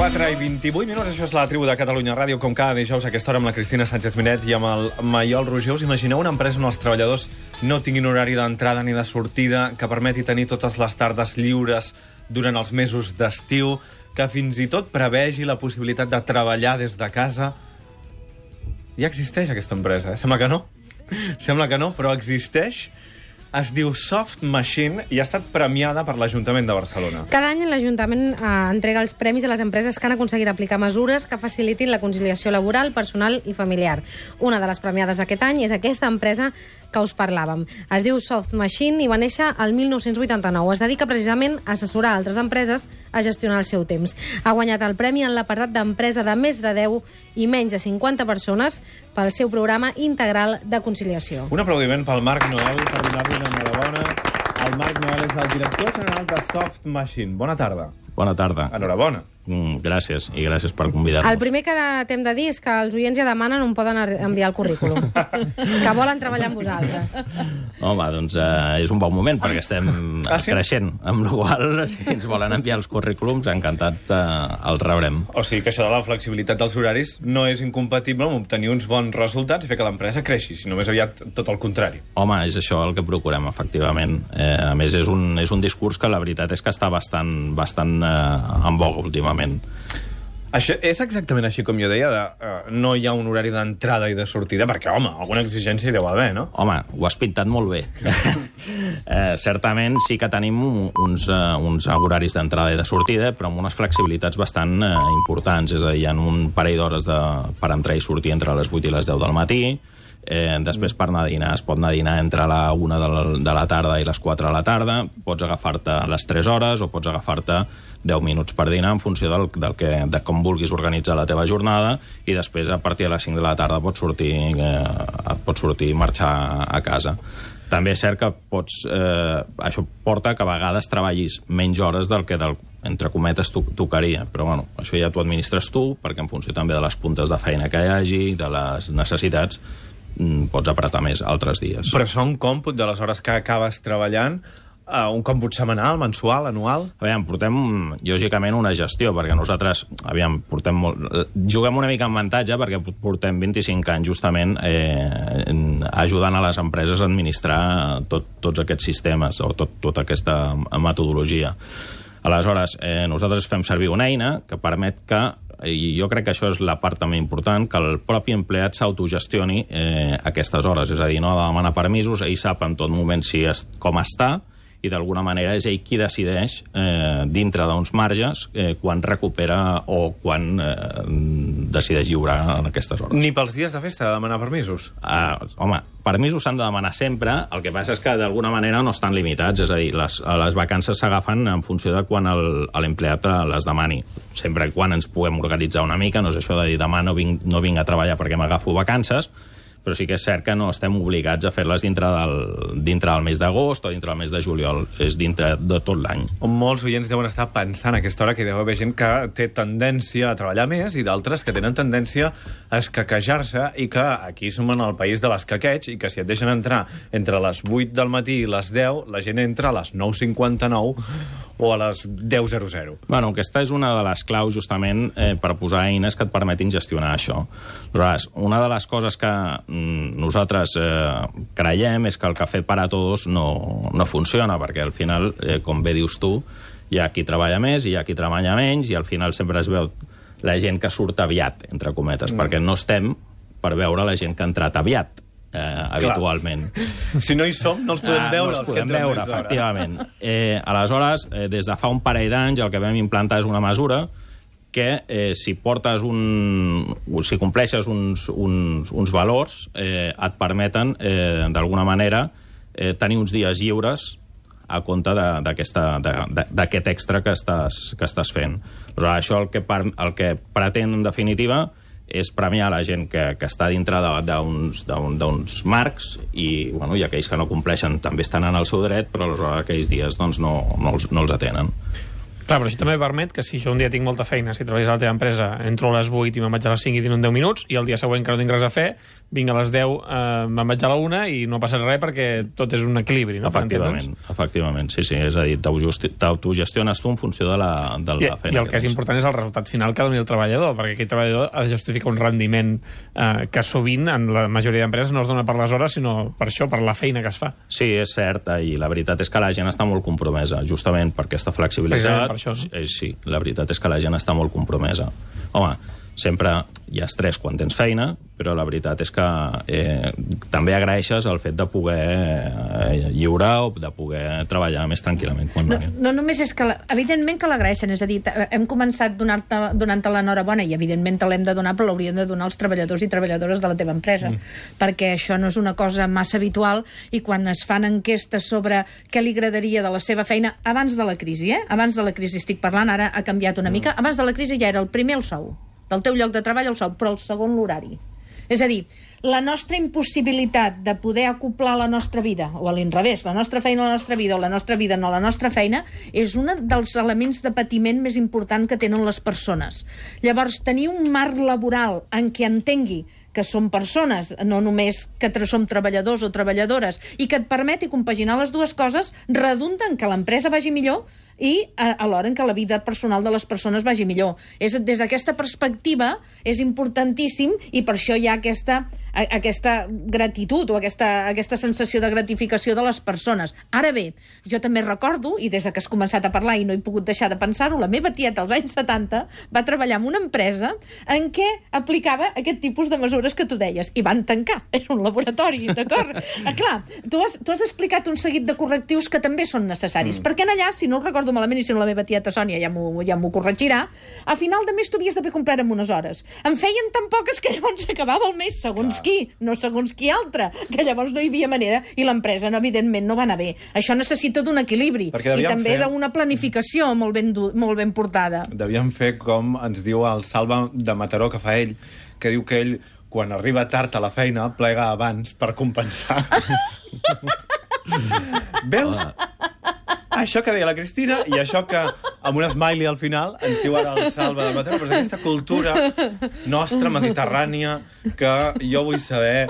4:28, això és la tribu de Catalunya Ràdio, com cada dijous a aquesta hora amb la Cristina Sánchez-Miret i amb el Maiol Roger. Us imagineu una empresa on els treballadors no tinguin horari d'entrada ni de sortida, que permeti tenir totes les tardes lliures durant els mesos d'estiu, que fins i tot prevegi la possibilitat de treballar des de casa? Ja existeix aquesta empresa, eh? Sembla que no. Sembla que no, però existeix. Es diu Soft Machine i ha estat premiada per l'Ajuntament de Barcelona. Cada any l'Ajuntament entrega els premis a les empreses que han aconseguit aplicar mesures que facilitin la conciliació laboral, personal i familiar. Una de les premiades d'aquest any és aquesta empresa que us parlàvem. Es diu Soft Machine i va néixer el 1989. Es dedica precisament a assessorar altres empreses a gestionar el seu temps. Ha guanyat el premi en l'apartat d'empresa de més de 10 i menys de 50 persones pel seu programa integral de conciliació. Un aplaudiment pel Marc Noel per donar-li una enhorabona. El Marc Noel és el director general de Soft Machine. Bona tarda. Bona tarda. Enhorabona. Gràcies, i gràcies per convidar-nos. El primer que t'hem de dir és que els oients ja demanen on poden enviar el currículum. Que volen treballar amb vosaltres. Home, doncs és un bon moment, perquè estem creixent. Amb la qual cosa, si ens volen enviar els currículums, encantat els rebrem. O sigui que això de la flexibilitat dels horaris no és incompatible amb obtenir uns bons resultats i fer que l'empresa creixi, sinó més aviat tot el contrari. Home, és això el que procurem, efectivament. A més, és un discurs que la veritat és que està bastant en boga últimament. Això és exactament així com jo deia, no hi ha un horari d'entrada i de sortida, perquè, home, alguna exigència hi deu haver, no? Home, ho has pintat molt bé. Certament sí que tenim uns horaris d'entrada i de sortida, però amb unes flexibilitats bastant importants. És a dir, hi ha un parell d'hores per entrar i sortir entre les 8 i les 10 del matí. Després per anar a dinar es pot anar a dinar entre la 1 de la tarda i les 4 de la tarda. Pots agafar-te les 3 hores o pots agafar-te 10 minuts per dinar en funció de com vulguis organitzar la teva jornada, i després a partir de les 5 de la tarda pots sortir i marxar a casa. També és cert que això porta que a vegades treballis menys hores del que entre cometes tocaria, però bueno, això ja t'ho administres tu, perquè en funció també de les puntes de feina que hi hagi, de les necessitats, pots apretar més altres dies. Però això un còmput de les hores que acabes treballant, un còmput setmanal, mensual, anual? Portem, lògicament, una gestió, perquè nosaltres, juguem una mica en avantatge, perquè portem 25 anys justament ajudant a les empreses a administrar tots aquests sistemes o tota aquesta metodologia. Aleshores, nosaltres fem servir una eina que permet que, i jo crec que això és la part també important, que el propi empleat s'autogestioni aquestes hores. És a dir, no ha de demanar permisos, ell sap en tot moment com està, i d'alguna manera és ell qui decideix, dintre d'uns marges, quan recupera o quan decideix lliurar en aquestes hores. Ni pels dies de festa de demanar permisos? Home, permisos s'han de demanar sempre, el que passa és que d'alguna manera no estan limitats, és a dir, les vacances s'agafen en funció de quan l'empleat les demani. Sempre quan ens puguem organitzar una mica, no és això de dir demà no vinc a treballar perquè m'agafo vacances, però sí que és cert que no estem obligats a fer-les dintre del mes d'agost o dintre del mes de juliol, és dintre de tot l'any. Molts oients deuen estar pensant a aquesta hora que hi deu haver gent que té tendència a treballar més i d'altres que tenen tendència a escaquejar-se, i que aquí som en el país de l'escaqueig, i que si et deixen entrar entre les 8 del matí i les 10, la gent entra a les 9:59 o a les 10:00. Bueno, aquesta és una de les claus justament per posar eines que et permetin gestionar això. Aleshores, una de les coses que nosaltres creiem és que el cafè para todos no funciona, perquè al final, com bé dius tu, hi ha qui treballa més i hi ha qui treballa menys, i al final sempre es veu la gent que surt aviat, entre cometes, perquè no estem per veure la gent que ha entrat aviat, habitualment. Si no hi som, no els podem veure. No els podem veure, efectivament. Aleshores, des de fa un parell d'anys, el que vam implantar és una mesura que si compleixes uns valors, et permeten, d'alguna manera, tenir uns dies lliures a compte d'aquest extra que estàs fent. Però això el que pretén, en definitiva, és premiar la gent que està dintre d'uns marcs, i aquells que no compleixen també estan en el seu dret, però aleshores aquells dies no els atenen. Clar, però això també permet que si jo un dia tinc molta feina, si treballes a la teva empresa, entro a les 8 i me'n vaig a les 5 i tinc 10 minuts, i el dia següent que no tinc res a fer, vinc a les 10, me'n vaig a la 1 i no passa res perquè tot és un equilibri, no? Efectivament, sí, és a dir, t'autogestiones tu en funció de la feina. I el que és important és el resultat final que doni el treballador, perquè aquell treballador ha de justificar un rendiment que sovint en la majoria d'empreses no es dona per les hores, sinó per això, per la feina que es fa. Sí, és cert, i la veritat és que la gent està molt compromesa, justament per aquesta flexibilitat. Per això, no? Sí, la veritat és que la gent està molt compromesa. Home, sempre hi ha estrès quan tens feina, però la veritat és que també agraeixes el fet de poder lliurar o de poder treballar més tranquil·lament. No només és que, evidentment que l'agraeixen, és a dir, hem començat donant-te l'enhorabona i evidentment te l'hem de donar, però l'haurien de donar els treballadors i treballadores de la teva empresa, perquè això no és una cosa massa habitual, i quan es fan enquestes sobre què li agradaria de la seva feina, abans de la crisi, abans de la crisi estic parlant, ara ha canviat una mica, abans de la crisi ja era el primer el sou, del teu lloc de treball el sou, però el segon l'horari. És a dir, la nostra impossibilitat de poder acoplar la nostra vida, o a l'inrevés, la nostra feina a la nostra vida, o la nostra vida no a la nostra feina, és un dels elements de patiment més important que tenen les persones. Llavors, tenir un marc laboral en què entengui que som persones, no només que som treballadors o treballadores, i que et permeti compaginar les dues coses, redunda en que l'empresa vagi millor i alhora en què la vida personal de les persones vagi millor. Des d'aquesta perspectiva és importantíssim, i per això hi ha aquesta gratitud o aquesta sensació de gratificació de les persones. Ara bé, jo també recordo, i des que has començat a parlar i no he pogut deixar de pensar-ho, la meva tieta als anys 70 va treballar en una empresa en què aplicava aquest tipus de mesures que tu deies, i van tancar. Era un laboratori, d'acord? Clar, tu has explicat un seguit de correctius que també són necessaris, perquè allà, si no ho recordo malament, i si no la meva tieta Sònia ja m'ho corregirà, a final de mes tu havies d'haver complert amb unes hores. En feien tan poques que llavors s'acabava el mes, segons qui, no segons qui altre, que llavors no hi havia manera, i l'empresa, evidentment, no va anar bé. Això necessita d'un equilibri, i també d'una planificació molt ben portada. Devíem fer com ens diu el Salva de Mataró, que fa ell, que diu que ell, quan arriba tard a la feina, plega abans per compensar. Veus? Això que deia la Cristina i això que amb un smiley al final ens diu ara el Salva de Mataró, però és aquesta cultura nostra, mediterrània, que jo vull saber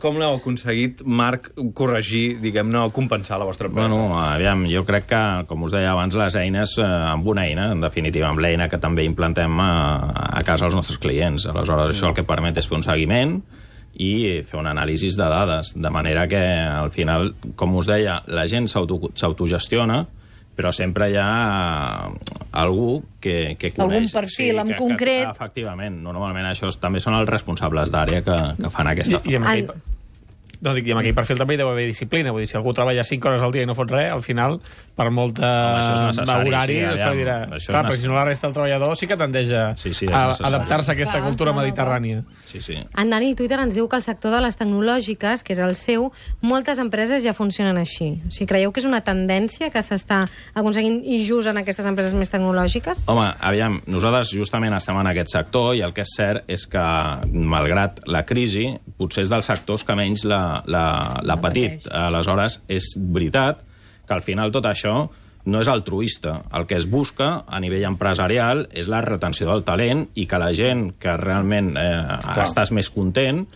com l'heu aconseguit, Marc, corregir, diguem-ne, o compensar la vostra empresa. Bueno, aviam, jo crec que, com us deia abans, les eines, amb una eina, en definitiva, amb l'eina que també implentem a casa als nostres clients. Aleshores, això el que permet és fer un seguiment i fer un anàlisi de dades, de manera que, al final, com us deia, la gent s'autogestiona, però sempre hi ha algú que coneix. Algun perfil en concret. Efectivament, normalment això també són els responsables d'àrea que fan aquesta feina. No, dic, i amb aquell perfil també hi deu haver disciplina. Vull dir, si algú treballa 5 hores al dia i no fot res, al final, per molta horari, se li dirà... Clar, perquè si no la resta del treballador sí que tendeix a adaptar-se a aquesta cultura mediterrània. En Dani Twitter ens diu que el sector de les tecnològiques, que és el seu, moltes empreses ja funcionen així. O sigui, creieu que és una tendència que s'està aconseguint i just en aquestes empreses més tecnològiques? Home, aviam, nosaltres justament estem en aquest sector i el que és cert és que, malgrat la crisi, potser és dels sectors que menys l'ha patit. Aleshores, és veritat que al final tot això no és altruista. El que es busca a nivell empresarial és la retenció del talent i que la gent que realment estàs més content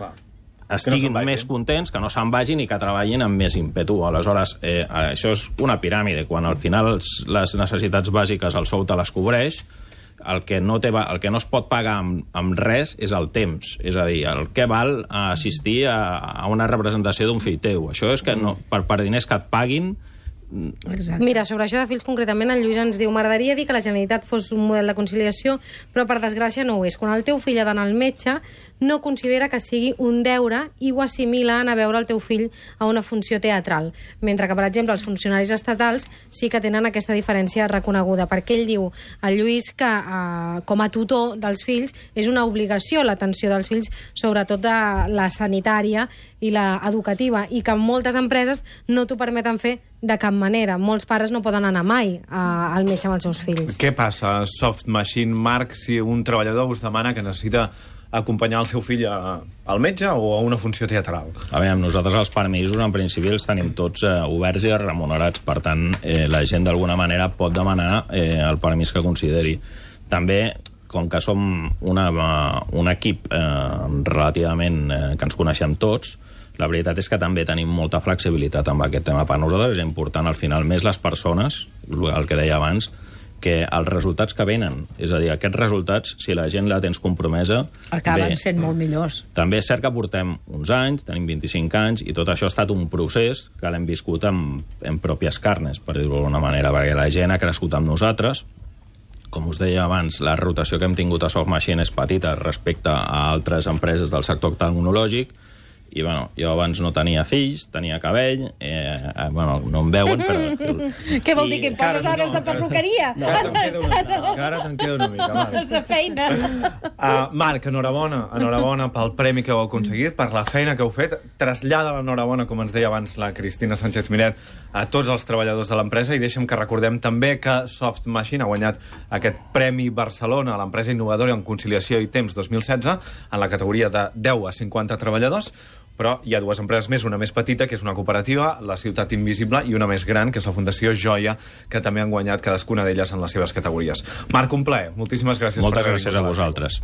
estiguin més contents, que no se'n vagin i que treballin amb més ímpetu. Aleshores, això és una piràmide. Quan al final les necessitats bàsiques el sou te les cobreix, el que no es pot pagar amb res és el temps. És a dir, el que val assistir a una representació d'un fill teu. Això és que per diners que et paguin... Exacte. Mira, sobre això de fills concretament, el Lluís ens diu: m'agradaria dir que la Generalitat fos un model de conciliació, però per desgràcia no ho és. Quan el teu fill ha d'anar al metge, no considera que sigui un deure i ho assimila a anar a veure el teu fill a una funció teatral. Mentre que, per exemple, els funcionaris estatals sí que tenen aquesta diferència reconeguda, perquè ell diu, el Lluís, que com a tutor dels fills és una obligació l'atenció dels fills, sobretot de la sanitària i la educativa, i que moltes empreses no t'ho permeten fer de cap manera. Molts pares no poden anar mai al metge amb els seus fills. Què passa, Soft Machine, Marc, si un treballador us demana que necessita acompanyar el seu fill al metge o a una funció teatral? A veure, nosaltres els permisos en principi els tenim tots oberts i remunerats, per tant la gent d'alguna manera pot demanar el permís que consideri. També, com que som un equip relativament que ens coneixem tots, la veritat és que també tenim molta flexibilitat amb aquest tema. Per nosaltres és important, al final, més les persones, el que deia abans, que els resultats que venen, és a dir, aquests resultats, si la gent la tens compromesa... Acaben sent molt millors. També és cert que portem uns anys, tenim 25 anys, i tot això ha estat un procés que l'hem viscut en pròpies carnes, per dir-ho d'alguna manera, perquè la gent ha crescut amb nosaltres. Com us deia abans, la rotació que hem tingut a Soft Machine és petita respecte a altres empreses del sector tecnològic, i bueno, jo abans no tenia fills, tenia cabell, bueno, no em veuen, però... Què vol dir, que em poses hores de perruqueria? Encara te'n queda una mica, Marc. Hores de feina. Marc, enhorabona pel premi que heu aconseguit, per la feina que heu fet. Trasllada l'enhorabona, com ens deia abans la Cristina Sánchez Miret, a tots els treballadors de l'empresa, i deixem que recordem també que Soft Machine ha guanyat aquest Premi Barcelona a l'empresa innovadora en conciliació i temps 2016 en la categoria de 10 a 50 treballadors. Però hi ha dues empreses més, una més petita, que és una cooperativa, la Ciutat Invisible, i una més gran, que és la Fundació Joia, que també han guanyat cadascuna d'elles en les seves categories. Marc, un plaer. Moltíssimes gràcies. Moltes gràcies a vosaltres.